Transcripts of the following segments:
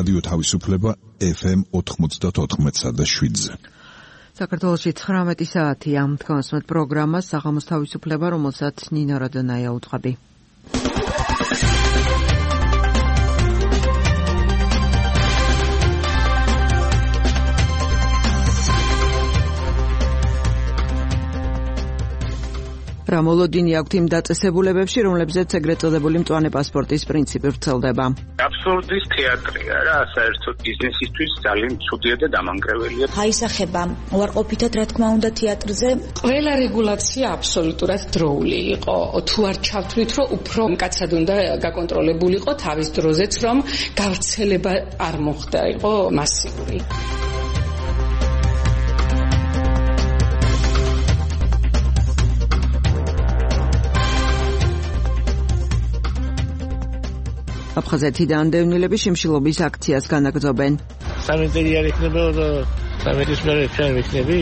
რადიო თავისუფლება FM 94.7-ზე. საქართველოში 19 საათია. თქვენსმეთ პროგრამას საღამოს თავისუფლება, რომელსაც ნინა რადონაია უძღვები. რა მოლოდინი აქვთ იმ დაწესებულებებში, რომლებზეც ეგრეთ წოდებული მწვანე პასპორტის პრინციპი ვრცელდება? აბსურდის თეატრია რა, საერთოდ ბიზნესისთვის ძალიან ცუდია და დამანგრეველია. აისახება უარყოფითად, რა თქმა უნდა, თეატრზე. ყველა რეგულაცია აბსოლუტურად დროული იყო. თუ არ ჩავთვლით, რომ უფრო მკაცად უნდა გაკონტროლებულიყო თავის დროზეც, რომ გავრცელება არ მოხდა, იყო მასიური. აფხაზეთიდან დევნილები შიმშილობის აქციას განაგრძობენ. სამედერი არ იქნება და სამედის მერე ჩვენ ვიქნები?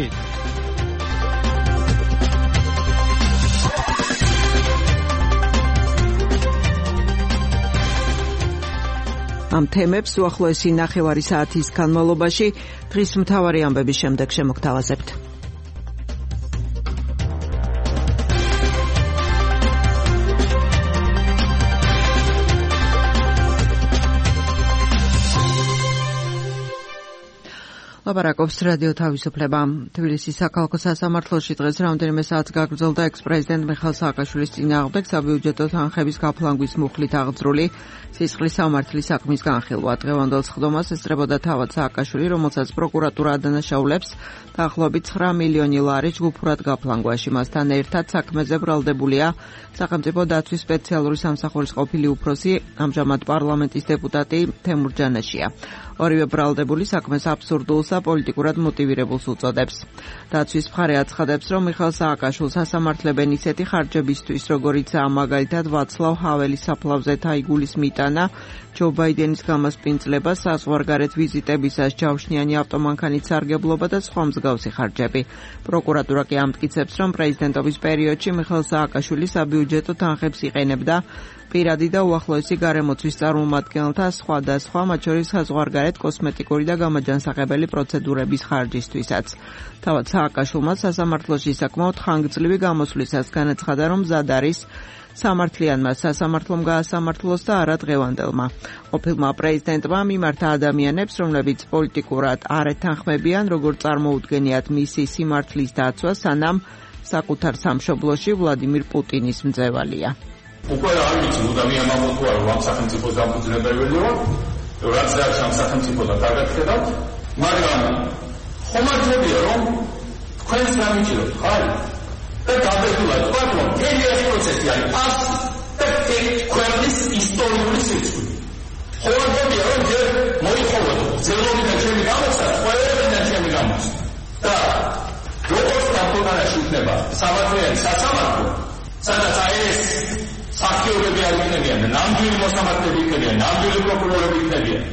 ამ თემებს უახლოესი ნახევარი საათის განმავლობაში დღის მთავარი ამბების შემდეგ შემოგთავაზებთ. ლაპარაკობს რადიო თავისუფლება. თბილისის საქალაქო სასამართლოში დღეს რამდენიმე საათს გაგრძელდა ექს-პრეზიდენტ მიხეილ სააკაშვილის წინააღმდეგ საბიუჯეტო თანხების გაფლანგვის მუხლით აღძრული სისხლის სამართლის საქმის განხილვა. დღევანდელ სხდომას ესწრებოდა თავად სააკაშვილი, რომელსაც პროკურატურა ადანაშაულებს დაახლოებით 9 მილიონი ლარი ჯგუფურად გაფლანგვაში. მასთან ერთად საქმეზე ბრალდებულია სახელმწიფო დაცვის სპეციალური სამსახურის ყოფილი უფროსი, ამჟამად პარლამენტის დეპუტატი თემურ ჯანაშია. ორივე ბრალდებული საქმეს აბსურდულსა პოლიტიკურად მოტივირებულს უწოდებს. დაცვის მხარე აცხადებს, რომ მიხეილ სააკაშვილს ასამართლებენ ისეთი ხარჯებისთვის, როგორიცაა მაგალითად ვაცლავ ჰაველის საფლავზე თაიგულის მიტანა, ჯო ბაიდენის გამასპინძლება, საზღვარგარეთ ვიზიტებისას ჯავშნიანი ავტომანქანით სარგებლობა და სხვა მსგავსი ხარჯები. პროკურატურა კი ამტკიცებს, რომ პრეზიდენტობის პერიოდში მიხეილ სააკაშვილი საბიუჯეტო თანხებს იყენებდა პირადი და უახლოესი გარემოცვის წარმომადგენელთა სხვადასხვა, მათ შორის საზღვარგარეთ კოსმეტიკური და გამაჯანსაღებელი პროცედურების ხარჯისთვისაც. თავად სააკაშვილმა სასამართლოში საკმაოდ ხანგრძლივი გამოსვლისას განაცხადა, რომ მზად არის სამართლიანმა სასამართლომ გაასამართლოს და არა დღევანდელმა. ყოფილმა პრეზიდენტმა მიმართა ადამიანებს, რომლებიც პოლიტიკურად არ ეთანხმებიან, როგორც წარმოუდგენიათ მისი სიმართლის დაცვა, სანამ საკუთარ სამშობლოში ვლადიმირ პუტინის მძევალია. უკვე არ ვიცი მუდამია მამოთვარ რომ ამ სახელმწიფოს დამფუძნებელი ვარ, რაც რაც ამ სახელმწიფოდან დაგახედავთ, მაგრამ ხომართებია რომ თქვენს გამიჭიროთ, ხარ? და გადაგულად ვთქვათ, რომ მთელი ეს პროცესი არის ფასი და ქვეყნის ისტორიული სიკვდილი. ხომართებია რომ ჯერ მოიხოვოთ ძელობიდან ჩემი გამოსა, ყველგან ჩემი გამოსა. და როგორც დამტონაში იქნება სამართლიანი სასამართლო, სადაც ეს საფრთხეობები არ იქნებიან, ნამდვილი მოსამართლეები იქნებიან, ნამდვილი პროკურორები იქნებიან.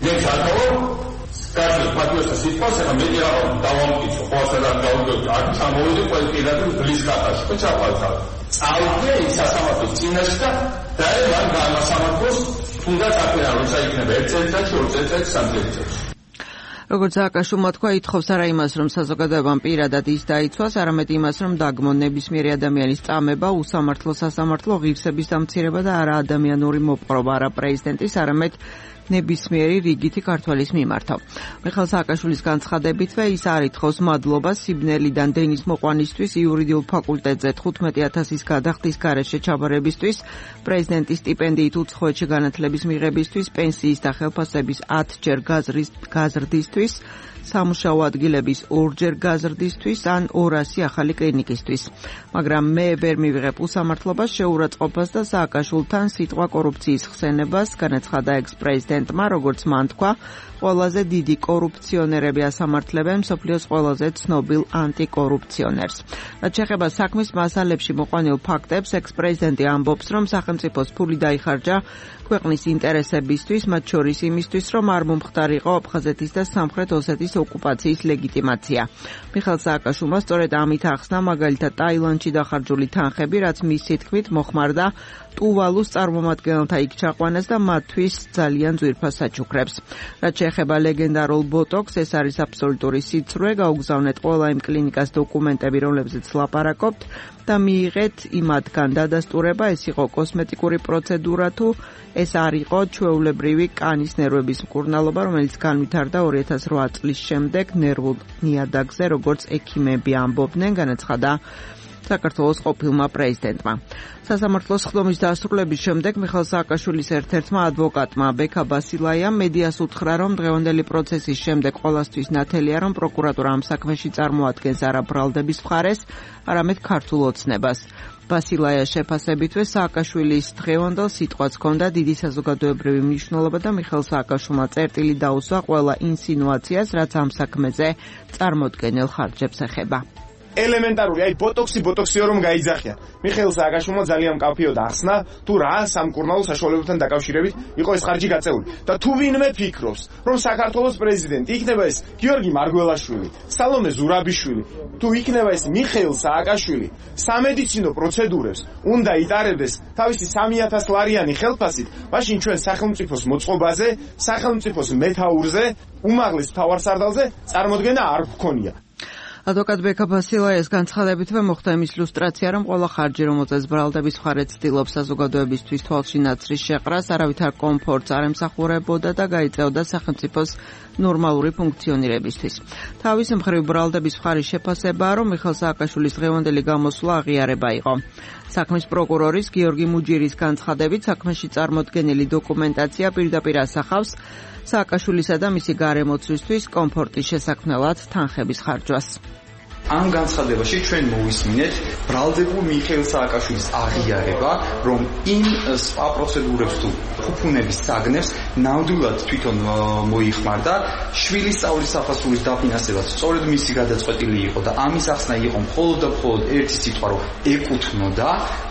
მე ხალხო, კარგი პატრიოტთა სიტყვას, ახლა მე დავამტკიცო, ხო სადაც გავიგოთ, არ ჩამოვიდი ყველგან ბლის ხატაში, ხო ჩაყავდა. წავიდე ის სასამართლოს წინაშე და მან გამასამართლოს თუნდაც აკეთა, როცა იქნება 1 წელიწადში, 2 წელიწადში, 3 წელიწადში. როგორც სააკაშვილმა თქვა, ითხოვს არა იმას, რომ საზოგადოებამ პირადად ის დაიცვას, არამედ იმას, რომ დაგმონ ნებისმიერი ადამიანის წამება, უსამართლო სასამართლო ღირსების დამცირება და არა ადამიანური მოპყრობა, არა პრეზიდენტის, არამედ ნებისმიერი რიგითი ქართველის მიმართა. მიხეილ სააკაშვილის განცხადებითვე ის არ ითხოვს მადლობას სიბნელიდან დენის მოყვანისთვის იურიდიულ ფაკულტეტზე 15,000-ის გადახდის გარეშე ჩაბარებისთვის, პრეზიდენტის სტიპენდიით უცხოეთში განათლების მიღებისთვის, პენსიის და ხელფასების 10 ჯერ გაზრდისთვის, სამუშაო ადგილების 2 ჯერ გაზრდისთვის ან 200 ახალი კლინიკისთვის. მაგრამ მე ვერ მივიღებ უსამართლობას, შეურაცხყოფას და სააკაშვილთან სიტყვა კორუფციის ხსენებას, განაცხადა ექს-პრეზიდენტმა, როგორც მან თქვა, ყველაზე დიდი კორუფციონერები ასამართლებენ მსოფლიოს ყველაზე ცნობილ ანტიკორუფციონერს. რაც შეეხება საქმის მასალებში მოყვანილ ფაქტებს, ექს-პრეზიდენტი ამბობს, რომ სახელმწიფოს ფული დაიხარჯა ქვეყნის ინტერესებისთვის, მათ შორის იმისთვის, რომ არ მომხდარიყო აფხაზეთის და სამხრეთ ოსეთის ქვეყნის ოკუპაციის ლეგიტიმაცია. მიხეილ სააკაშვილმა სწორედ ამით ახსნა მაგალითად ტაილანდში დახარჯული თანხები, რაც მისი თქმით მოხმარდა ტუვალუს წარმომადგენელთა იქ ჩაყვანას და მათთვის ძალიან ძვირფას საჩუქრებს. რაც შეეხება ლეგენდარულ ბოტოქს, ეს არის აბსოლუტური სიცრუე, გაუგზავნეთ ყველა იმ კლინიკას დოკუმენტები, რომლებზეც ლაპარაკობთ და მიიღეთ იმათგან დადასტურება, ეს იყო კოსმეტიკური პროცედურა თუ ეს არ იყო ჩვეულებრივი კანის ნერვების მკურნალობა, რომელიც განვითარდა 2008 წლის შემდეგ ნერვულ ნიადაგზე, როგორც ექიმები ამბობდნენ, განაცხადა საქართველოს ყოფილმა პრეზიდენტმა. სასამართლოს ხდომის დასრულების შემდეგ მიხეილ სააკაშვილის ერთ-ერთმა ადვოკატმა ბექა ბასილაიამ მედიას უთხრა, რომ დღევანდელი პროცესის შემდეგ ყველასთვის ნათელია, რომ პროკურატურა ამ საქმეში წარმოადგენს არა ბრალდების მხარეს, არამედ ქართულ ოცნებას. ბასილაიას შეფასებითვე სააკაშვილის დღევანდელ სიტყვას ჰქონდა დიდი საზოგადოებრივი მნიშვნელობა და მიხეილ სააკაშვილმა წერტილი დაუსვა ყველა ინსინუაციას, რაც ამ საქმეზე წარმოდგენილ ხარჯებს ეხება. ელემენტარული, აი ბოტოქსიო რომ გაიძახია. მიხეილ სააკაშვილმა ძალიან მკაფიოდ ახსნა, თუ რა სამკურნალო საშუალებებთან დაკავშირებით იყო ეს ხარჯი გაწეული. და თუ ვინმე ფიქრობს, რომ საქართველოს პრეზიდენტი იქნება ეს გიორგი მარგველაშვილი, სალომე ზურაბიშვილი, თუ იქნება ეს მიხეილ სააკაშვილი, სამედიცინო პროცედურებს უნდა იტარებდეს თავისი 3000 ლარიანი ხელფასით, მაშინ ჩვენ სახელმწიფოს მოწყობაზე, სახელმწიფოს მეთაურზე, უმაღლეს მთავარსარდალზე წარმოდგენა არ გვქონია. ადვოკატ ბექა ბასილაიას განცხადებითვე მოხდა იმის ილუსტრაცია, რომ ყველა ხარჯი, რომელზეც ბრალდების მხარე ცდილობს საზოგადოებისთვის თვალში ნაცრის შეყრას, არავითარ კომფორტს არ ემსახურებოდა და გაიწეოდა სახელმწიფოს ნორმალური ფუნქციონირებისთვის. თავის მხრივ ბრალდების მხარის შეფასებაა, რომ მიხეილ სააკაშვილის დღევანდელი გამოსვლა აღიარება იყო. საქმის პროკურორის გიორგი მუჯირის განცხადებით, საქმეში წარმოდგენილი დოკუმენტაცია პირდაპირ ასახავს სააკაშვილისა და მისი გარემოცვისთვის კომფორტის შესაქმნელად თანხების ხარჯვას. ამ განცხადებაში ჩვენ მოვისმინეთ ბრალდებულ მიხეილ სააკაშვილის აღიარება, რომ იმ სხვა პროცედურებს თუ ფუფუნების საგნებს ნამდვილად თვითონ მოიხმარდა, შვილის სწავლის საფასურის დაფინანსებას სწორედ მისი გადაწყვეტილი იყო და ამის ახსნა იყო მხოლოდ და მხოლოდ ერთი სიტყვა, რომ ეკუთვნოდა,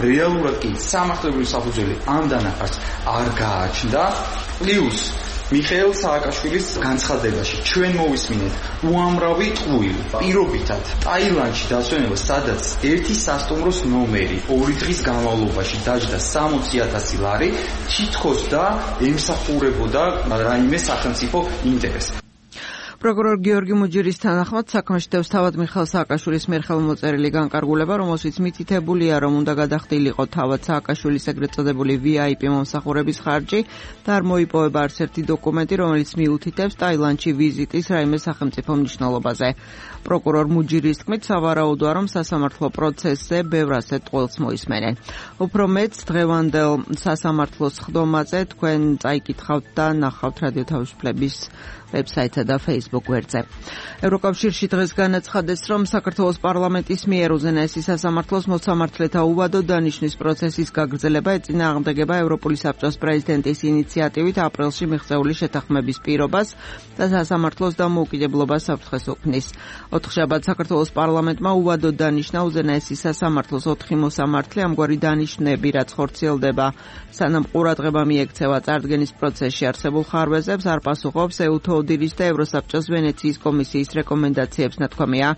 რეალურად კი სამართლებრივი საფუძველი ამ დანახარს არ გააჩნდა. პლუს მიხეილ სააკაშვილის განცხადებაში ჩვენ მოვისმინეთ უამრავი ტყუილი პირობითად ტაილანდში დასვენება, სადაც ერთი სასტუმროს ნომერი 2 დღის განმავლობაში დაჯდა 60,000 ლარი, თითქოს და ემსახურებოდა რაიმე სახელმწიფო ინტერესს. პროკურორ გიორგი მუჯირის თანახმად საქმეში დევს თავად მიხეილ სააკაშვილის მიერ ხელმოწერილი განკარგულება, რომელშიც მითითებულია, რომ უნდა გადახდილიყო თავად სააკაშვილის ეგრეთ წოდებული VIP მომსახურების ხარჯი და არ მოიპოვება არც ერთი დოკუმენტი, რომელიც მიუთითებს ტაილანდში ვიზიტის რაიმე სახელმწიფო მნიშვნელობაზე. პროკურორ მუჯირის თქმით, სავარაუდოა, რომ სასამართლო პროცესზე ბევრ ასეთ ტყუილს მოისმენენ. უფრო მეც დღევანდელ სასამართლოს ხდომაზე თქვენ წაიკითხავთ და ნახავთ რადიო თავისუფლების ვებსაიტსა და Facebook გვერდზე. ევროკავშირში დღეს განაცხადეს, რომ საქართველოს პარლამენტის მიერ უზენაესი სასამართლოს მოსამართლეთა უვადო დანიშვნის პროცესის გაგრძელება ეწინააღმდეგება ევროპული საბჭოს პრეზიდენტის ინიციატივით აპრილში მიღწეული შეთანხმების პირობას და სასამართლოს დამოუკიდებლობას საფრთხეს უქმნის. ოთხშაბათს საქართველოს პარლამენტმა უვადო დანიშნა უზენაესი სასამართლოს 4 მოსამართლე ამგვარი დანიშნები, რაც ხორციელდება სანამ ყურადღება მიექცევა წარდგენის პროცესში არსებულ ხარვეზებს, არ პასუხობს ეუთოდირის და ევროსაბჭოს ვენეციის კომისიის რეკომენდაციებს, ნათქვამია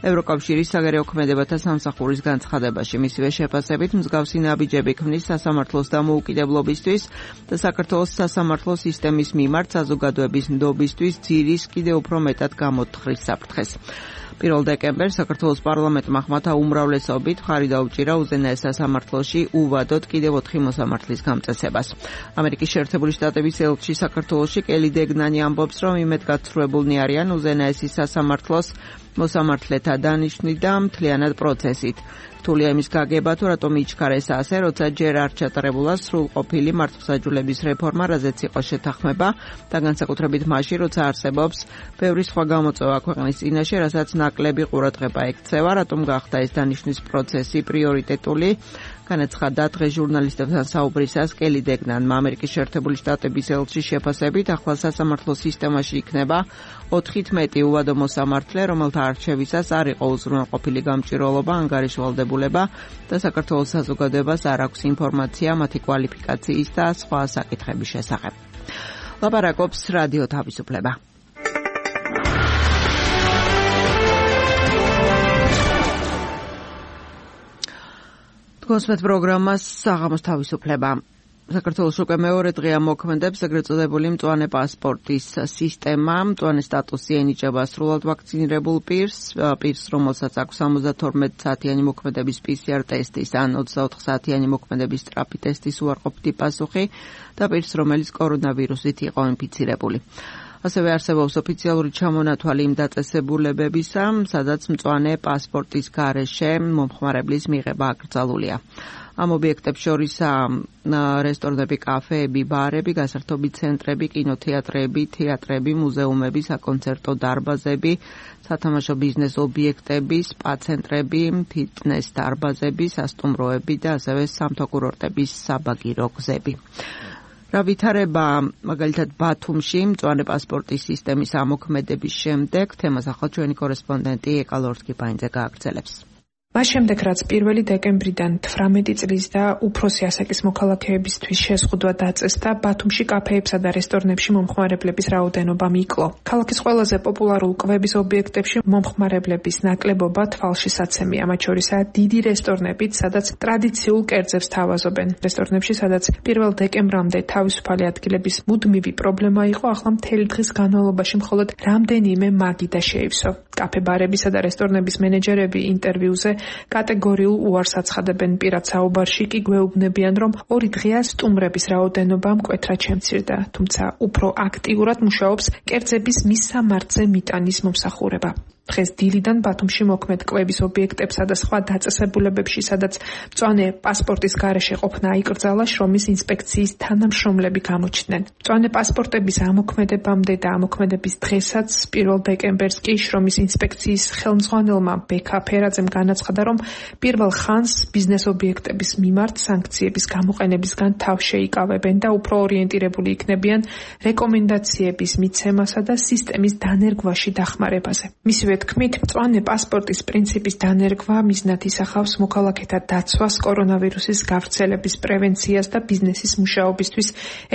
ევროკავშირის საგარეო ქმედებათა სამსახურის განცხადებაში. მისივე შეფასებით მსგავსი ნაბიჯები ქმნის სასამართლოს დამოუკიდებლობისთვის და საქართველოს სასამართლო სისტემის მიმართ საზოგადოების ნდობისთვის ძირის კიდევ უფრო მეტად გამოთხრის საფრთხეს. 1 დეკემბერს საქართველოს პარლამენტმა ხმათა უმრავლესობით მხარი დაუჭირა უზენაეს სასამართლოში უვადოდ კიდევ 4 მოსამართლის გამწესებას. ამერიკის შეერთებული შტატების ელჩი საქართველოში კელი დეგნანი ამბობს, რომ იმედგაცრუებულნი არიან უზენაესის სასამართლოს მოსამართლეთა დანიშვნით და მთლიანად პროცესით. რთულია იმის გაგება, თუ რატომ იჩქარეს ასე, როცა ჯერ არ ჩატარებულა სრულყოფილი მართლმსაჯულების რეფორმა, რაზეც იყო შეთანხმება და განსაკუთრებით მაშინ, როცა არსებობს ბევრი სხვა გამოწვევა ქვეყნის წინაშე, რასაც ნაკლები ყურადღება ექცევა, რატომ გახდა ეს დანიშვნის პროცესი პრიორიტეტული. განაცხადა დღეს ჟურნალისტებთან საუბრისას კელი დეგნანმა. ამერიკის შეერთებული შტატების ელჩის შეფასებით, ახლა სასამართლო სისტემაში იქნება 4-ით მეტი უვადო მოსამართლე, რომელთა არჩევისას არ იყო უზრუნველყოფილი გამჭირვალობა, ანგარიშვალდებულება და საქართველოს საზოგადოებას არ აქვს ინფორმაცია მათი კვალიფიკაციის და სხვა საკითხების შესახებ. ლაპარაკობს რადიო თავისუფლება. Თქვენს პროგრამას საღამოს თავისუფლება. საქართველოს უკვე მეორე დღეა მოქმედებს ეგრეთ წოდებული მწვანე პასპორტის სისტემა. მწვანე სტატუსი ენიჭება სრულად ვაქცინირებულ პირს, რომელსაც აქვს 72 საათიანი მოქმედების PCR ტესტის ან 24 საათიანი მოქმედების სწრაფი ტესტის უარყოფითი პასუხი და პირს, რომელიც კორონავირუსით იყო ინფიცირებული. ასევე არსებობს ოფიციალური ჩამონათვალი იმ დაწესებულებებისა, სადაც მწვანე პასპორტის გარეშე მომხმარებლის მიღება აკრძალულია. ამ ობიექტებს შორისაა რესტორნები, კაფეები, ბარები, გასართობი ცენტრები, კინოთეატრები, თეატრები, მუზეუმები, საკონცერტო დარბაზები, სათამაშო ბიზნეს ობიექტები, სპა ცენტრები, ფიტნეს დარბაზები, სასტუმროები და ასევე სამთო კურორტების საბაგირო გზები. რა ვითარება მაგალითად ბათუმში მწვანე პასპორტის სისტემის ამოქმედების შემდეგ, თემას ახლა ჩვენი კორესპონდენტი ეკალორსკი-ბაინძე გააგრძელებს. მას შემდეგ, რაც 1 დეკემბრიდან 18 წლის და უფროსი ასაკის მოქალაქეებისთვის შეზღუდვა დაწესდა, ბათუმში კაფეებსა და რესტორნებში მომხმარებლების რაოდენობა მიკლო. ქალაქის ყველაზე პოპულარულ კვების ობიექტებში მომხმარებლების ნაკლებობა თვალშისაცემია, მათ შორისაა დიდი რესტორნებით, სადაც ტრადიციულ კერძებს თავაზობენ. რესტორნებში, სადაც 1 დეკემბრამდე თავისუფალი ადგილების მუდმივი პრობლემა იყო, ახლა მთელი დღის განმავლობაში მხოლოდ რამდენიმე მაგიდა შეივსო. კაფე-ბარებისა და რესტორნების მენეჯერები ინტერვიუზე კატეგორიულ უარს აცხადებენ პირად საუბარში, კი გვეუბნებიან, რომ 2 დღეა სტუმრების რაოდენობა მკვეთრად შემცირდა, თუმცა უფრო აქტიურად მუშაობს კერძების მისამართზე მიტანის მომსახურება. დღეს დილიდან ბათუმში მოქმედ კვების ობიექტებსა და სხვა დაწესებულებებში, სადაც მწვანე პასპორტის გარეშე ყოფნა აიკრძალა, შრომის ინსპექციის თანამშრომლები გამოჩნდნენ. მწვანე პასპორტების ამოქმედებამდე და ამოქმედების დღესაც 1 დეკემბერს კი შრომის ინსპექციის ხელმძღვანელმა ბექა ფერაძემ განაცხადა, რომ პირველ ხანს ბიზნეს ობიექტების მიმართ სანქციების გამოყენებისგან თავს შეიკავებენ და უფრო ორიენტირებული იქნებიან რეკომენდაციების მიცემასა და სისტემის დანერგვაში დახმარებაზე. მისივე თქმით, მწვანე პასპორტის პრინციპის დანერგვა მიზნად ისახავს მოქალაქეთა დაცვას, კორონავირუსის გავრცელების პრევენციას და ბიზნესის მუშაობისთვის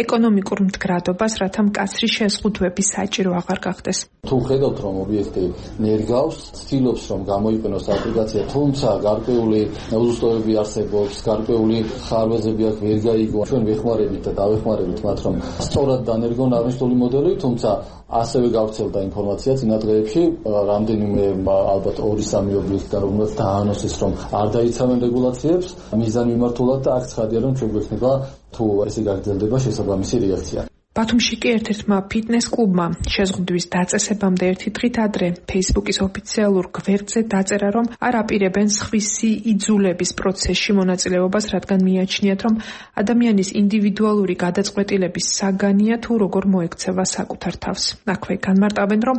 ეკონომიკურ მდგრადობას, რათა მკაცრი შეზღუდვები საჭირო აღარ გახდეს. თუ ხედავთ, რომ ობიექტი ნერგავს, ცდილობს, რომ გამოიყენოს აპლიკაცია, თუმცა გარკვეული უზუსტოებები არსებობს, გარკვეული ხარვეზები აქ ვერ გაიგო. ჩვენ ვეხმარებით და დავეხმარებით მათ, რომ სწორად დანერგონ აღნიშნული მოდელი, თუმცა ასევე გავრცელდა ინფორმაცია წინა დღეებში, რამდენიმე ალბათ 2-3 ობიექტიდან, რომელსაც დაანონსეს, რომ არ დაიცავენ რეგულაციებს მიზანი მიმართულად და აქ ცხადია, რომ ჩვენ გვექნება თუ ესე გაგრძელდება შესაბამისი რეაქცია. ბათუმში კი ერთ-ერთმა ფიტნეს კლუბმა შეზღუდვის დაწესებამდე 1 დღით ადრე Facebook-ის ოფიციალურ გვერდზე დაწერა, რომ არ აპირებენ სხვისი იძულების პროცესში მონაწილეობას, რადგან მიაჩნიათ, რომ ადამიანის ინდივიდუალური გადაწყვეტილების საგანია თუ როგორ მოექცევა საკუთარ თავს. აქვე განმარტავენ, რომ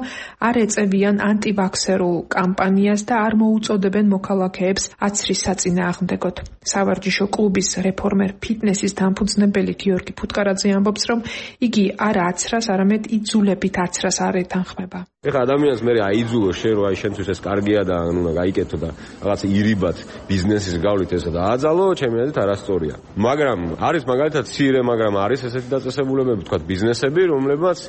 არ ეწევიან ანტივაქსერულ კამპანიას და არ მოუწოდებენ მოქალაქეებს აცრის საწინააღმდეგოდ. სავარჯიშო კლუბის რეფორმერ ფიტნესის დამფუძნებელი გიორგი ფუტკარაძე ამბობს, რომ იგი არა აცრას, არამედ იძულებით აცრას არ ეთანხმება. ეხლა ადამიანს მე აიძულო შენ რომ აი შენთვის ეს კარგია და უნდა გაიკეთო და რაღაც ირიბად ბიზნესის გავლით ესა და აძალო, ჩემი აზრით არასწორია. მაგრამ არის მაგალითად ცირე, მაგრამ არის ესეთი დაწესებულებები, თქვა ბიზნესები, რომლებიც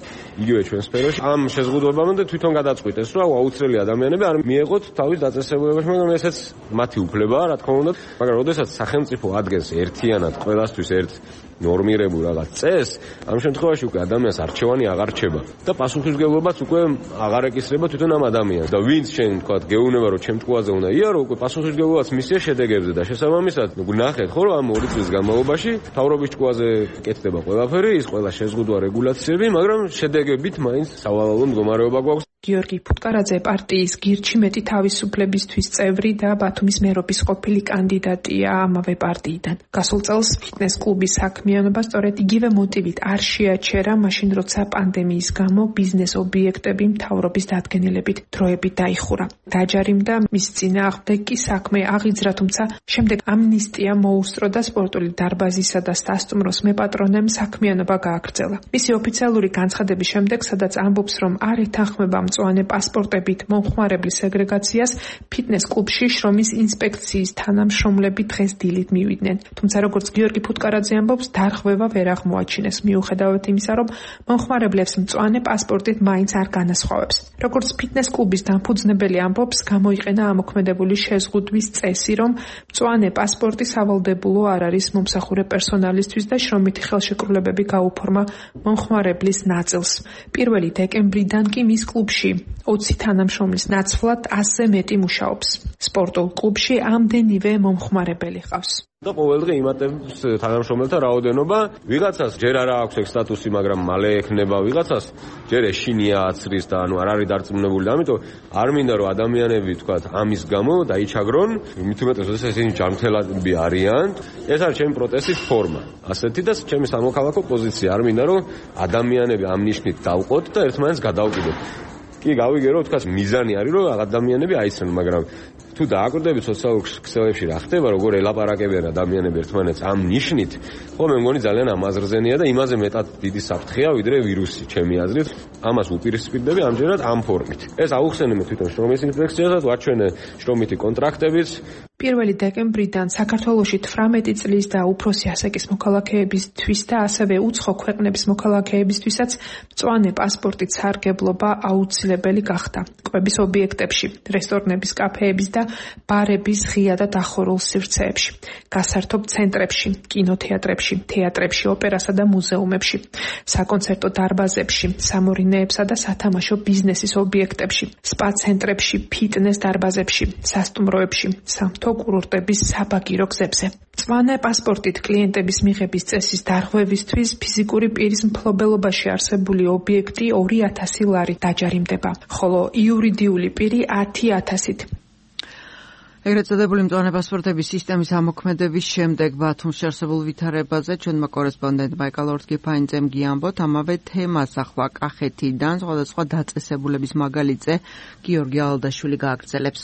იგივე ჩვენ სფეროში ამ შეზღუდვებამდე თვითონ გადაწყვიტეს, რომ აუცილებელი ადამიანები არ მიეღოთ თავის დაწესებულებაში, მაგრამ ესეც მათი უფლებაა, რა თქმა უნდა. მაგრამ როდესაც სახელმწიფო ადგენს ერთიანად ყველასთვის ერთ ნორმირებულ რაღაც წესს, ამ შემთხვევაში უკვე ადამიანს არჩევანი აღარ რჩება და პასუხისმგებლობაც უკვე აღარ ეკისრება თვითონ ამ ადამიანს. და ვინც შენ თქვა გეუბნება, რომ ჩემ ჭკუაზე უნდა იარო, უკვე პასუხისმგებლობაც მისია შედეგებზე და შესაბამისად ნახეთ ხო, რომ ამ 2 წლის განმავლობაში თავრობის ჭკუაზე კეთდება ყველაფერი, ის ყველა შეზღუდვა რეგულაციები, მაგრამ შედეგებით მაინც სავალალო მდგომარეობა გვაქვს. გიორგი ფუტკარაძე პარტიის გირჩი მეტი თავისუფლებისთვის წევრი და ბათუმის მერობის ყოფილი კანდიდატია ამავე პარტიიდან. გასულ წელს ფიტნეს კლუბის საქმიანობა სწორედ იგივე მოტივით არ შეაჩერა, მაშინ როცა პანდემიის გამო ბიზნეს ობიექტები მთავრობის დადგენილებით დროებით დაიხურა. დაჯარიმდა მის წინააღმდეგ კი საქმე აღიძრა, თუმცა შემდეგ ამნისტია მოუსწრო და სპორტული დარბაზისა და სასტუმროს მეპატრონემ საქმიანობა გააგრძელა. მისი ოფიციალური განცხადების შემდეგ, სადაც ამბობს, რომ არ ეთანხმება მწვანე პასპორტებით მომხმარებლის სეგრეგაციას ფიტნეს კლუბში შრომის ინსპექციის თანამშრომლები დღეს დილით მივიდნენ. თუმცა როგორც გიორგი ფუტკარაძე ამბობს, დარღვევა ვერ აღმოაჩინეს, მიუხედავად იმისა, რომ მომხმარებლებს მწვანე პასპორტით მაინც არ განასხვავებს. როგორც ფიტნეს კლუბის დამფუძნებელი ამბობს, გამოიყენა ამოქმედებული შეზღუდვის წესი, რომ მწვანე პასპორტი სავალდებულო არ არის მომსახურე პერსონალისთვის და შრომითი ხელშეკრულებები გაუფორმა მომხმარებლის ნაწილს. 1 დეკემბრიდან კი მის კლუბში 20 თანამშრომლის ნაცვლად 100-ზე მეტი მუშაობს. სპორტულ კლუბში ამდენივე მომხმარებელი ყავს. და ყოველდღე იმატებს თანამშრომელთა რაოდენობა, ვიღაცას ჯერ არ აქვს ეგ სტატუსი, მაგრამ მალე ექნება, ვიღაცას ჯერ ეშინია აცრის და არ არის დარწმუნებული, ამიტომ არ მინდა რომ ადამიანები თქვათ ამის გამო დაიჩაგრონ, მით უმეტეს ისინი ჯანმრთელები არიან. ეს არის ჩემი პროტესტის ფორმა. ასეთი და ჩემი სამოქალაქო პოზიცია. არ მინდა რომ ადამიანები ამ ნიშნით დავყოთ და ერთმანეთს გადავკიდოთ. კი გავიგე რომ თქვათ მიზანი არის რომ ადამიანები აიცნონ, მაგრამ თუ დააკვირდებით სოციალურ ქსელებში რა ხდება, როგორ ელაპარაკებიან ადამიანები ერთმანეთს ამ ნიშნით, ხო მე მგონი ძალიან ამაზრზენია და იმაზე მეტად დიდი საფრთხეა ვიდრე ვირუსი, ჩემი აზრით. ამას უპირისპირდები ამჯერად ამ ფორმით. ეს აუხსენებთ თვითონ შრომის ინსპექციასაც, ვაჩვენე შრომითი კონტრაქტებიც. 1 დეკემბრიდან საქართველოში 18 წლის და უფროსი ასაკის მოქალაქეებისთვის და ასევე უცხო ქვეყნების მოქალაქეებისთვისაც მწვანე პასპორტით სარგებლობა აუცილებელი გახდა. კვების ობიექტებში, რესტორნების, კაფეების და ბარების ღია და დახურულ სივრცეებში, გასართობ ცენტრებში, კინოთეატრებში, თეატრებში, ოპერასა და მუზეუმებში, საკონცერტო დარბაზებში, სამორინეებსა და სათამაშო ბიზნესის ობიექტებში, სპა ცენტრებში, ფიტნეს დარბაზებში, სასტუმროებში, სამთო კურორტების საბაგირო გზებზე. მწვანე პასპორტით კლიენტების მიღების წესის დარღვევისთვის ფიზიკური პირის მფლობელობაში არსებული ობიექტი 2000 ლარით დაჯარიმდება, ხოლო იურიდიული პირი 10,000-ით. ეგრეთ წოდებული მწვანე პასპორტების სისტემის ამოქმედების შემდეგ ბათუმში არსებულ ვითარებაზე ჩვენმა კორესპონდენტმა ეკალორთგიფაინძემ გიამბოთ, ამავე თემას ახლა კახეთიდან სხვადასხვა დაწესებულების მაგალითზე გიორგი ალდაშვილი გააგრძელებს.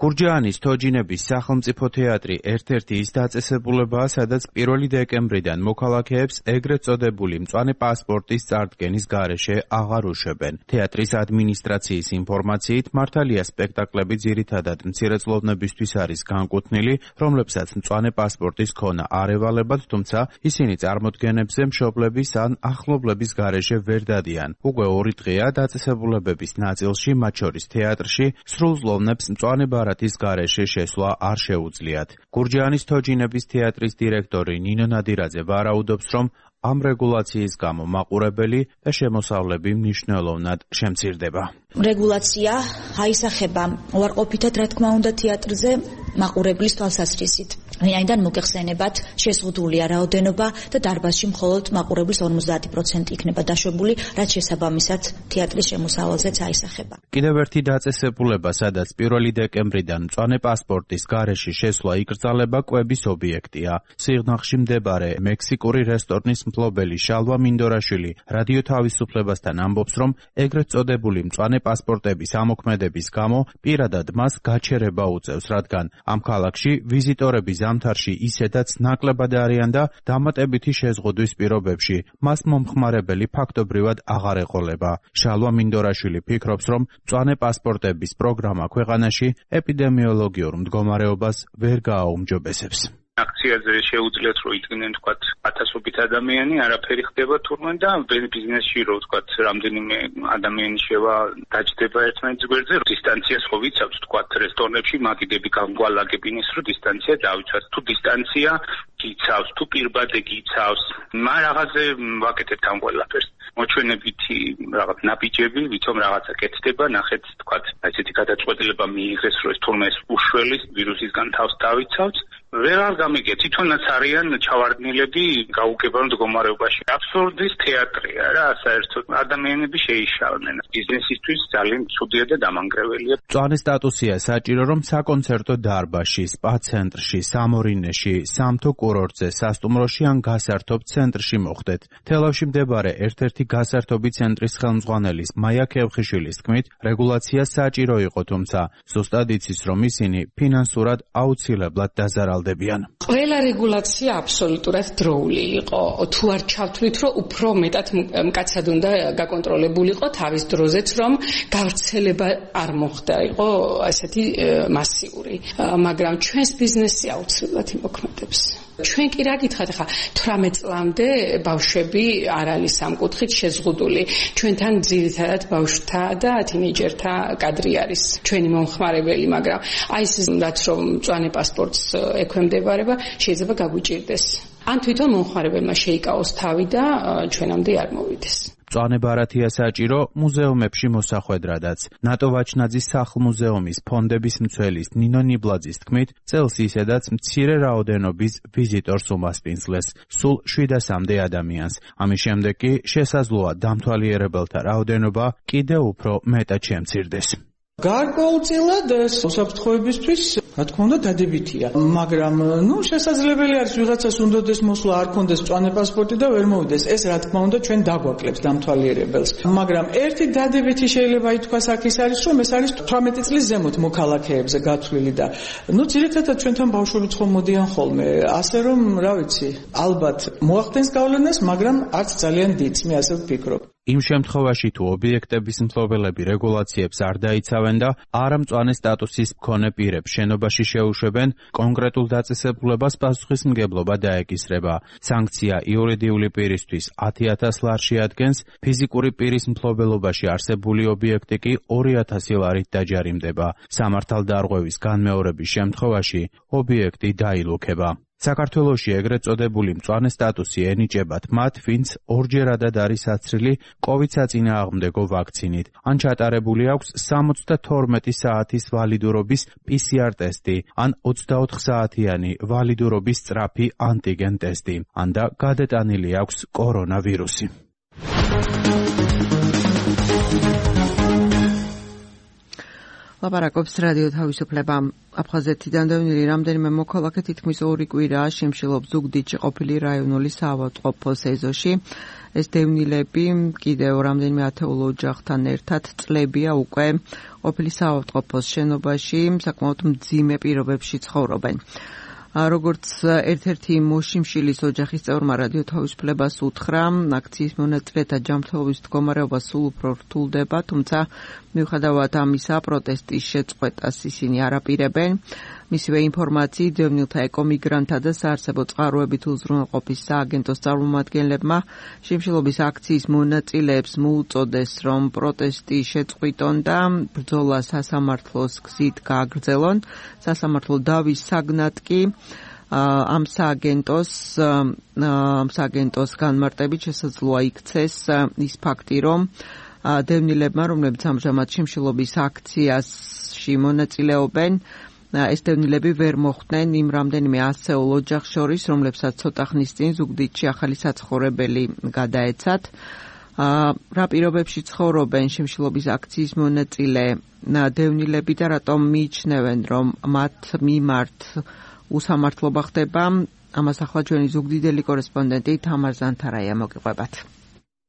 გურჯაანის თოჯინების სახელმწიფო თეატრი ერთ-ერთი ის დაწესებულებაა, სადაც 1 დეკემბრიდან მოქალაქეებს ეგრეთ წოდებული მწვანე პასპორტის წარდგენის გარეშე აღარ უშვებენ. თეატრის ადმინისტრაციის ინფორმაციით, მართალია სპექტაკლები ძირითადად მცირეწლოვნებისთვის არის განკუთვნილი, რომლებსაც მწვანე პასპორტის ქონა არ ევალებათ, თუმცა ისინი წარმოდგენებზე მშობლების ან ახლობლების გარეშე ვერ დადიან. უკვე 2 დღეა დაწესებულებების ნაწილში, მათ შორის თეატრში, სრულწლოვნებს მწვანე ბარათის გარეშე შესვლა არ შეუძლიათ. გურჯაანის თოჯინების თეატრის დირექტორი ნინო ნადირაძე ვარაუდობს, რომ ამ რეგულაციის გამო მაყურებელი და შემოსავლები მნიშვნელოვნად შემცირდება. რეგულაცია აისახება უარყოფითად, რა თქმა უნდა, თეატრზე მაყურებლის თვალსაზრისით. ვინაიდან მოგეხსენებათ, შეზღუდულია რაოდენობა და დარბაზში მხოლოდ მაყურებლის 50% იქნება დაშვებული, რაც შესაბამისად თეატრის შემოსავალზეც აისახება. კიდევ ერთი დაწესებულება, სადაც 1 დეკემბრიდან მწვანე პასპორტის გარეშე შესვლა იკრძალება, კვების ობიექტია. სიღნაღში მდებარე მექსიკური რესტორნის მფლობელი შალვა მინდორაშვილი რადიო თავისუფლებასთან ამბობს, რომ ეგრეთ წოდებული მწვანე პასპორტების ამოქმედების გამო პირადად მას გაჩერება უწევს, რადგან ამ ქალაქში ვიზიტორები ზამთარში ისედაც ნაკლებად არიან და დამატებითი შეზღუდვის პირობებში მას მომხმარებელი ფაქტობრივად აღარ ეყოლება. შალვა მინდორაშვილი ფიქრობს, რომ მწვანე პასპორტების პროგრამა ქვეყანაში ეპიდემიოლოგიურ მდგომარეობას ვერ გააუმჯობესებს. აქციაზე შეუძლიათ რომ იდგნენ თქვათ ათასობით ადამიანი, არაფერი ხდება თურმე და ბიზნესში რომ თქვათ რამდენიმე ადამიანი შევა დაჯდება ერთმანეთის გვერდზე, დისტანციას ხო ვიცავთ თქვათ რესტორნებში მაგიდები გამგვალაგებინეს რომ დისტანცია დავიცვათ. თუ დისტანცია გიცავს, თუ პირბადე გიცავს, მაგ რაღაცზე ვაკეთებთ ამ ყველაფერს. მოჩვენებითი რაღაც ნაბიჯები, ვითომ რაღაცა კეთდება, ნახეთ თქვათ ესეთი გადაწყვეტილება მიიღეს რომ ეს თურმე უშველის ვირუსისგან თავს დავიცავთ. ვერ არ გამიგე, თვითონაც არიან ჩავარდნილები გაუგებარ მდგომარეობაში. აბსურდის თეატრია რა, საერთოდ ადამიანები შეიშალნენ. ბიზნესისთვის ძალიან ცუდია და დამანგრეველია. მწვანე სტატუსია საჭირო, რომ საკონცერტო დარბაზში, სპა ცენტრში, სამორინეში, სამთო კურორტზე, სასტუმროში ან გასართობ ცენტრში მოხდეთ. თელავში მდებარე ერთ-ერთი გასართობი ცენტრის ხელმძღვანელის მაია ქევხიშვილის თქმით, რეგულაცია საჭირო იყო, თუმცა ზუსტად იცის, რომ ისინი ფინანსურად აუცილებლად დაზარალდნენ. გრძელდებიან. ყველა რეგულაცია აბსოლუტურად დროული იყო. თუ არ ჩავთვლით, რომ უფრო მეტად მკაცად უნდა გაკონტროლებულიყო თავის დროზეც, რომ გავრცელება არ მოხდა იყო ასეთი მასიური. მაგრამ ჩვენს ბიზნესი აუცილებლად იმოქმედებს. ჩვენ კი რა გითხათ ახლა 18 წლამდე ბავშვები არ არის ამ კუთხით შეზღუდული. ჩვენთან ძირითადად ბავშვთა და თინეიჯერთა კადრი არის ჩვენი მომხმარებელი, მაგრამ აი ეს რაც რომ მწვანე პასპორტს ექვემდებარება, შეიძლება გაგვიჭირდეს. ან თვითონ მომხმარებელმა შეიკავოს თავი და ჩვენამდე არ მოვიდეს. მწვანე ბარათია საჭირო მუზეუმებში მოსახვედრადაც. ნატო ვაჩნაძის სახლ-მუზეუმის ფონდების მცველის ნინო ნიბლაძის თქმით, წელს ისედაც მცირე რაოდენობის ვიზიტორს უმასპინძლეს, სულ 700-მდე ადამიანს. ამის შემდეგ კი შესაძლოა დამთვალიერებელთა რაოდენობა კიდევ უფრო მეტად შემცირდეს. გარკვეულწილად უსაფრთხოებისთვის, რა თქმა უნდა, დადებითია. მაგრამ, შესაძლებელი არის ვიღაცას უნდადეს მოსვლა, არ კონდეს მწვანე პასპორტი და ვერ მოვიდეს. ეს რა თქმა უნდა, ჩვენ დაგვაკლებს დამთვალიერებელს. მაგრამ ერთი დადებითი შეიძლება ითქვას აქ ის არის, რომ ეს არის 18 წლის ზემოთ მოქალაქეებზე გათვლილი და ძირითადად ჩვენთან ბავშვებიც ხომ მოდიან ხოლმე. ასე რომ, რა ვიცი, ალბათ მოახდენს გავლენას, მაგრამ არც ძალიან დიდს, მე ასე ვფიქრობ. იმ შემთხვევაში თუ ობიექტების მფლობელები რეგულაციებს არ დაიცავენ და არამწვანე სტატუსის მქონე პირებს შენობაში შეუშვებენ, კონკრეტულ დაწესებულებას პასუხისმგებლობა დაეკისრება. სანქცია იურიდიული პირისთვის 10,000 ლარში ადგენს, ფიზიკური პირის მფლობელობაში არსებული ობიექტი კი 2,000 ლარით დაჯარიმდება. სამართალდარღვევის განმეორების შემთხვევაში ობიექტი დაილუქება. საქართველოში ეგრეთ წოდებული მწვანე სტატუსი ენიჭებათ მათ, ვინც ორჯერადად არის აცრილი COVID საწინააღმდეგო ვაქცინით, ან ჩატარებული აქვს 72 საათის ვალიდურობის PCR ტესტი, ან 24 საათიანი ვალიდურობის სწრაფი ანტიგენ ტესტი, ან და გადატანილი აქვს კორონავირუსი. ლაპარაკობს რადიო თავისუფლება. აფხაზეთიდან დევნილი რამდენიმე მოქალაქე თითქმის 2 კვირაა შემშილობს ზუგდიდში ყოფილი რაიონული საავადმყოფოს ეზოში. ეს დევნილები კიდევ რამდენიმე ათეულო ოჯახთან ერთად წლებია უკვე ყოფილი საავადმყოფოს შენობაში საკმაოდ მძიმე პირობებში ცხოვრობენ. როგორც ერთ-ერთი მოშიმშილის ოჯახის წევრმა რადიო თავისუფლებას უთხრა, აქციის მონაწილეთა ჯანმრთელობის მდგომარეობა სულ უფრო რთულდება, თუმცა მიუხედავად ამისა, პროტესტის შეწყვეტას ისინი არ აპირებენ. მისივე ინფორმაციით, დევნილთა ეკომიგრანტთა და საარსებო წყაროებით უზრუნველყოფის სააგენტოს წარმომადგენლებმა შიმშილობის აქციის მონაწილეებს მოუწოდეს, რომ პროტესტი შეწყვიტონ და ბრძოლა სასამართლოს გზით გააგრძელონ. სასამართლო დავის საგნად კი ამ სააგენტოს განმარტებით შესაძლოა იქცეს ის ფაქტი, რომ დევნილებმა, რომლებიც ამჟამად შიმშილობის აქციაში მონაწილეობენ, ეს დევნილები ვერ მოხვდნენ იმ რამდენიმე 100 ოჯახს შორის, რომლებსაც ცოტა ხნის წინ ზუგდიდში ახალი საცხოვრებელი გადაეცათ. რა პირობებში ცხოვრობენ შიმშილობის აქციის მონაწილე დევნილები და რატომ მიიჩნევენ, რომ მათ მიმართ უსამართლობა ხდება? ამას ახლა ჩვენი ზუგდიდელი კორესპონდენტი თამარ ზანთარაია მოგიყვებათ.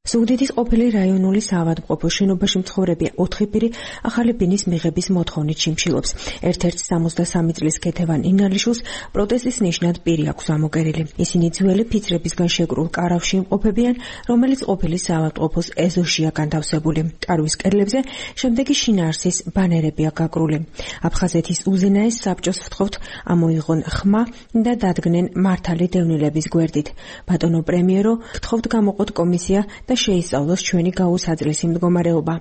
ზუგდიდის ყოფილი რაიონული საავადმყოფოს შენობაში მცხოვრები 4 პირი ახალი ბინის მიღების მოთხოვნით შიმშილობს. ერთ-ერთ 63 წლის ქეთევან ინალიშვილს პროტესტის ნიშნად პირი აქვს ამოგერილი. ისინი ძველი ფიცრებისგან შეკრულ კარავში იმყოფებიან, რომელიც ყოფილი საავადმყოფოს ეზოშია განთავსებული. კარვის კედლებზე შემდეგი შინაარსის ბანერებია გაკრული. აფხაზეთის უზენაეს საბჭოს ვთხოვთ ამოიღონ ხმა და დადგნენ მართალი დევნილების გვერდით. ბატონო პრემიერო, ვთხოვთ გამოყოთ კომისია და შეისწავლოს ჩვენი გაუსაძლისი მდგომარეობა.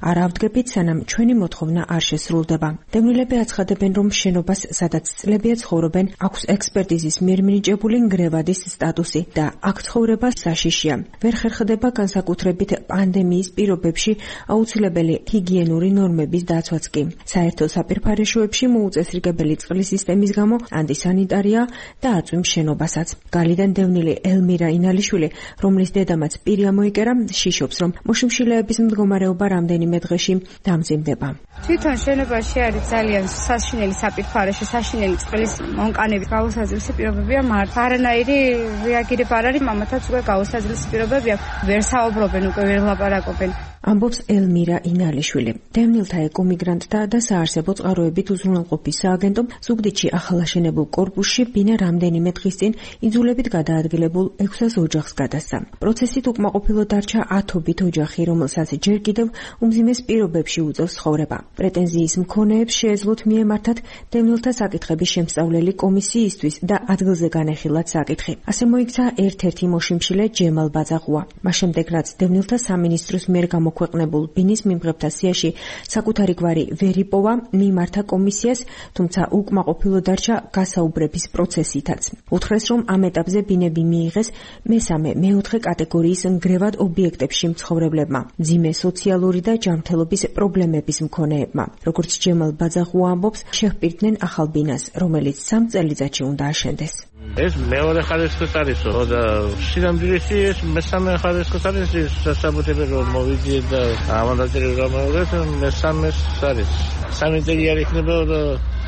არ ავდგებით, სანამ ჩვენი მოთხოვნა არ შესრულდება. დევნილები აცხადებენ, რომ შენობას, სადაც წლებია ცხოვრობენ, აქვს ექსპერტიზის მიერ მინიჭებული ნგრევადის სტატუსი და აქ ცხოვრება საშიშია. ვერ ხერხდება განსაკუთრებით პანდემიის პირობებში აუცილებელი ჰიგიენური ნორმების დაცვაც კი. საერთო საპირფარეშოებში მოუწესრიგებელი წყლის სისტემის გამო ანტისანიტარია და აწვიმს შენობასაც. გალიდან დევნილი ელმირა ინალიშვილი, რომლის დედამაც პირი ამოიკერა, შიშობს, რომ მოშიმშილეების მდგომარეობა რამდენიმე დღეში დამძიმდება. თვითონ შენობაში არის ძალიან საშინელი საპირფარეშო, საშინელი წყლის მონკანების გაუსაძლისი პირობებია მართლა. არანაირი რეაგირება არ არის, მამათაც უკვე გაუსაძლისი პირობებია. ვერ საუბრობენ, უკვე ვერ ლაპარაკობენ. ამბობს ელმირა ინალიშვილი. დევნილთა ეკომიგრანტთა და საარსებო წყაროებით უზრუნველყოფის სააგენტომ ზუგდიდში ახალაშენებულ კორპუსში ბინა რამდენიმე დღის წინ იძულებით გადაადგილებულ 600 ოჯახს გადასცა. პროცესით უკმაყოფილო დარჩა 10-ობით ოჯახი, რომელსაც ჯერ კიდევ უმძიმეს პირობებში უწევს ცხოვრება. პრეტენზიის მქონეებს შეეძლოთ მიემართათ დევნილთა საკითხების შემსწავლელი კომისიისთვის და ადგილზე განეხილათ საკითხი. ასე მოიქცა ერთ-ერთი მოშიმშილე ჯემალ ბაძაღუა. მას შემდეგ რაც დევნილთა სამინისტროს მიერ გამოქვეყნებულ ბინის მიმღებთა სიაში საკუთარი გვარი ვერ იპოვა, მიმართა კომისიას, თუმცა უკმაყოფილო დარჩა გასაუბრების პროცესითაც. უთხრეს, რომ ამ ეტაპზე ბინები მიიღეს მესამე, მეოთხე კატეგორიის ნგრევად ობიექტებში მცხოვრებლებმა, მძიმე სოციალური და ჯანმრთელობის პრობლემების მქონეებმა. როგორც ჯემალ ბაძაღუა ამბობს, შეჰპირდნენ ახალ ბინას, რომელიც 3 წელიწადში უნდა აშენდეს. ეს მეორე ხარისხის არისო და სინამდვილეში ეს მესამე ხარისხის არის სასაბუთები რომ მოვიძიეთ და ამანდატები რომ მოვიძიეთ მესამეს არის 3 წელი არ იქნება და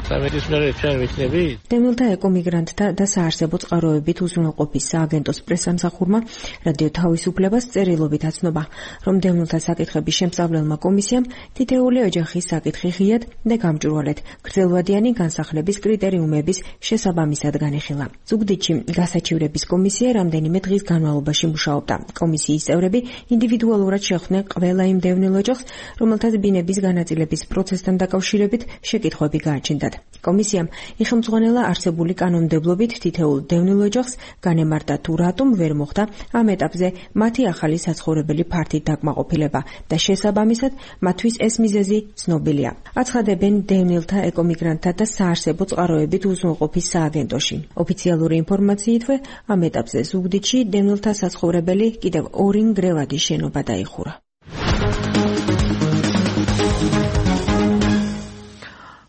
სამეთის მერე ჩვენ ვიქნები. დევნილთა ეკომიგრანტთა და საარსებო წყაროებით უზრუნველყოფის სააგენტოს პრესამსახურმა რადიო თავისუფლებას წერილობით აცნობა, რომ დევნილთა საკითხების შემსწავლელმა კომისიამ თითეული ოჯახის საკითხი ღიად და გამჭვირვალედ გრძელვადიანი განსახლების კრიტერიუმების შესაბამისად განიხილა. ზუგდიდში გასაჩივრების კომისია რამდენიმე დღის განმავლობაში მუშაობდა. კომისიის წევრები ინდივიდუალურად შეხვდნენ ყველა იმ დევნილ ოჯახს, რომელთაც ბინების განაწილების პროცესთან დაკავშირებით შეკითხვები გააჩნდათ. კომისიამ იხელმძღვანელა არსებული კანონმდებლობით თითოეულ დევნილ ოჯახს განემართა თუ რატომ ვერ მოხდა ამ ეტაპზე მათი ახალი საცხოვრებელი ფართით დაკმაყოფილება და შესაბამისად მათთვის ეს მიზეზი ცნობილია. აცხადებენ დევნილთა ეკომიგრანტთა და საარსებო წყაროებით უზრუნველყოფის სააგენტოში. ოფიციალური ინფორმაციითვე ამ ეტაპზე ზუგდიდში დევნილთა საცხოვრებელი კიდევ 2 ნგრევადი შენობა დაიხურა.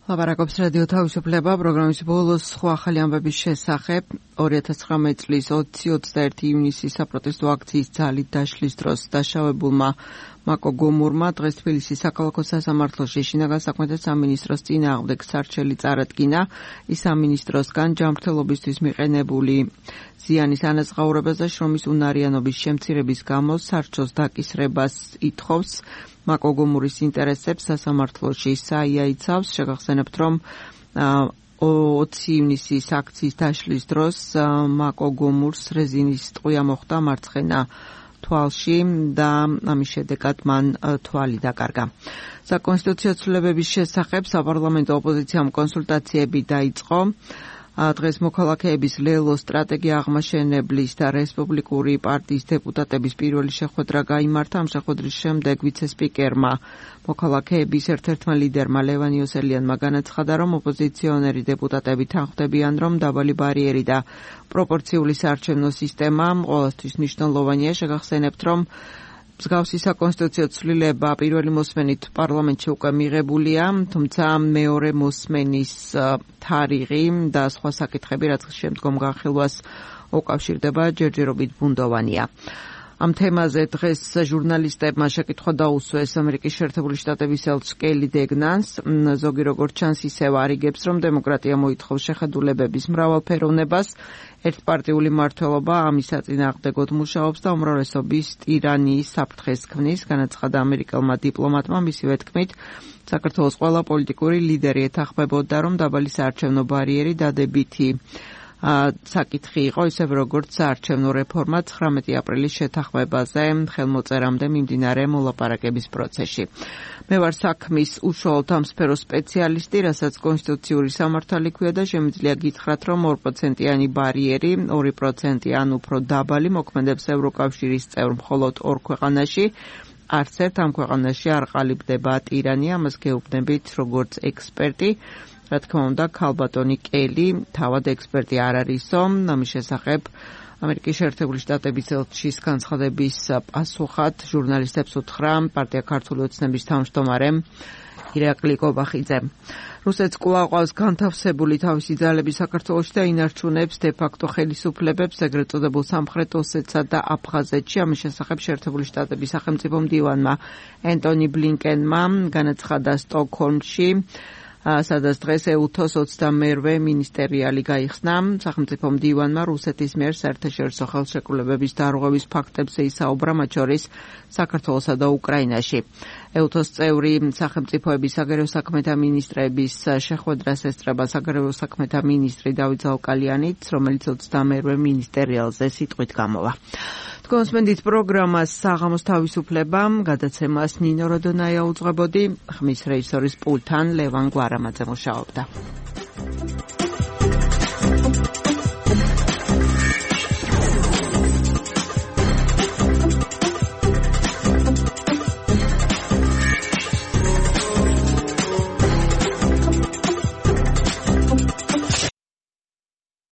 ლაპარაკობს რადიო თავისუფლება პროგრამის ბოლოს სხვა ახალი ამბების შესახებ 2019 წლის 20-21 ივნისის საპროტესტო აქციის ძალით დაშლის დროს დაშავებულმა მაკო გომურმა დღეს თბილისის საქალაქო სასამართლოში შინაგან საქმეთა სამინისტროს წინააღმდეგ სარჩელი წარადგინა. ის სამინისტროსგან ჯანმრთელობისთვის მიყენებული ზიანის ანაზღაურებას და შრომის უნარიანობის შემცირების გამო სარჩოს დაკისრებას ითხოვს. მაკო გომურის ინტერესებს სასამართლოში საიაიცავს. შეგახსენებთ, რომ 20 ივნისის აქციის დაშლის დროს მაკო გომურს რეზინის ტყვია მოხდა მარცხენა თვალში და ამის შედეგად მან თვალი დაკარგა. საკონსტიტუციო ცვლილებების შესახებ საპარლამენტო ოპოზიციამ კონსულტაციები დაიწყო. დღეს მოქალაქეების ლელო სტრატეგია აღმაშენებლის და რესპუბლიკური პარტიის დეპუტატების პირველი შეხვედრა გაიმართა. ამ შეხვედრის შემდეგ ვიცე-სპიკერმა მოქალაქეების ერთ-ერთმა ლიდერმა ლევან იოსელიანმა განაცხადა, რომ ოპოზიციონერი დეპუტატები თანხმდებიან, რომ დაბალი ბარიერი და პროპორციული საარჩევნო სისტემა ყოველთვის მნიშვნელოვანია. შეგახსენებთ, რომ მსგავსი საკონსტიტუციო ცვლილება პირველი მოსმენით პარლამენტში უკვე მიღებულია, თუმცა მეორე მოსმენის თარიღი და სხვა საკითხები, რაც შემდგომ განხილვას უკავშირდება, ჯერჯერობით ბუნდოვანია. ამ თემაზე დღეს ჟურნალისტებმა შეკითხვა დაუსვეს ამერიკის შეერთებული შტატების ელჩ კელი დეგნანს. ზოგი როგორც ჩანს ისევ არიგებს, რომ დემოკრატია მოითხოვს შეხედულებების მრავალფეროვნებას. ერთპარტიული მმართველობა ამის საწინააღმდეგოდ მუშაობს და უმრავლესობის ტირანიის საფრთხეს ქმნის, განაცხადა ამერიკელმა დიპლომატმა. მისივე თქმით, საქართველოს ყველა პოლიტიკური ლიდერი ეთანხმებოდა, რომ დაბალი საარჩევნო ბარიერი დადებითი საკითხი იყო, ისევ როგორც საარჩევნო რეფორმა 19 აპრილის შეთანხმებაზე ხელმოწერამდე მიმდინარე მოლაპარაკების პროცესში. მე ვარ საქმის უშუალოდ ამ სფეროს სპეციალისტი, რასაც კონსტიტუციური სამართალი ქვია და შემიძლია გითხრათ, რომ 2%-იანი ბარიერი, 2% ან უფრო დაბალი მოქმედებს ევროკავშირის წევრ მხოლოდ 2 ქვეყანაში. არც ერთ ამ ქვეყანაში არ ყალიბდება ტირანია, ამას გეუბნებით როგორც ექსპერტი. რა თქმა უნდა, ქალბატონი კელი თავად ექსპერტი არ არისო. ამის შესახებ ამერიკის შეერთებული შტატების ელჩის განცხადების პასუხად ჟურნალისტებს უთხრა პარტია ქართული ოცნების თავმჯდომარემ ირაკლი კობახიძემ. რუსეთს კვლავ ყავს განთავსებული თავისი ძალები საქართველოში და ინარჩუნებს დე-ფაქტო ხელისუფლებებს ეგრეთ წოდებულ სამხრეთ ოსეთსა და აფხაზეთში. ამის შესახებ შეერთებული შტატების სახელმწიფო მდივანმა ენტონი ბლინკენმა განაცხადა სტოკჰოლმში. სადაც დღეს ეუთოს 22-ვე მინისტერიალი გაიხსნა. სახელმწიფო მდივანმა რუსეთის მიერ საერთაშორისო ხელშეკრულებების დარღვევის ფაქტებზე ისაუბრა, მათ შორის საქართველოსა და უკრაინაში. ეუთოს წევრი სახელმწიფოების საგარეო საქმეთა მინისტრების შეხვედრას ესწრება საგარეო საქმეთა მინისტრი დავით ზალკალიანიც, რომელიც 22-ვე მინისტერიალზე სიტყვით გამოვა. კონსმენდით პროგრამას საღამოს თავისუფლება, გადაცემას ნინო როდონაია უძღვებოდი, ხმის რეჟისორის პულტთან ლევან გვარამაძე მუშაობდა.